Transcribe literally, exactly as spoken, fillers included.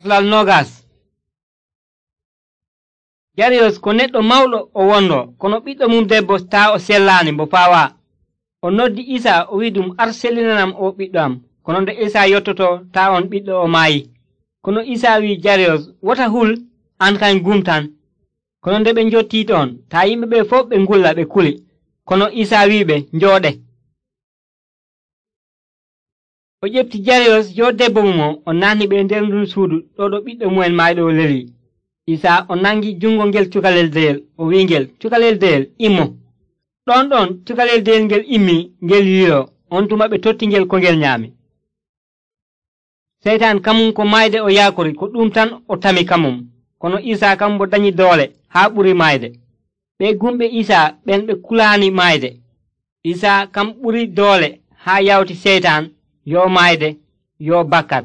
Lal nogas. Jariyos ko neɗɗo mawɗo o wondo, kono ɓiɗɗo mum debbo taa o sellaani mbo faawaa. O noddi Isaa o wi'i ɗum ar sellinanam o ɓiɗɗo am. Kono nde Isaa yottoto taa on ɓiɗɗo o maayi. Kono Isaa wi'i Jariyos, wota hul, an kañ gum tan. Kono nde ɓe njottii ɗon, taa yimɓe ɓe fof ɓe ngulla ɓe kuli. Kono Isaa wi'iɓe njooɗe. O ƴefti Jariyos yo debbo mum o, o naatni ɓe nder ndun suudu ɗo ɗo ɓiɗɗo mumen maayiɗo o leli. Isaa o nangi jungo ngel cukalel deyel, o wi'ingel, cukalel deyel, immo. Ɗon ɗon cukalel deyel ngel immii, ngel yiiloo, on tuma ɓe totti ngel ko ngel nyaami. Seytaan kamum ko maayde o yaakori, ko ɗum tan o tami kamum. Kono Isaa kam mbo dañi doole haa ɓuri maayde. Ɓe gumɓe Isaa ɓen ɓe kulaani maayde. Isaa kam ɓuri doole haa yawti Seytaan yo maayde yo bakkat.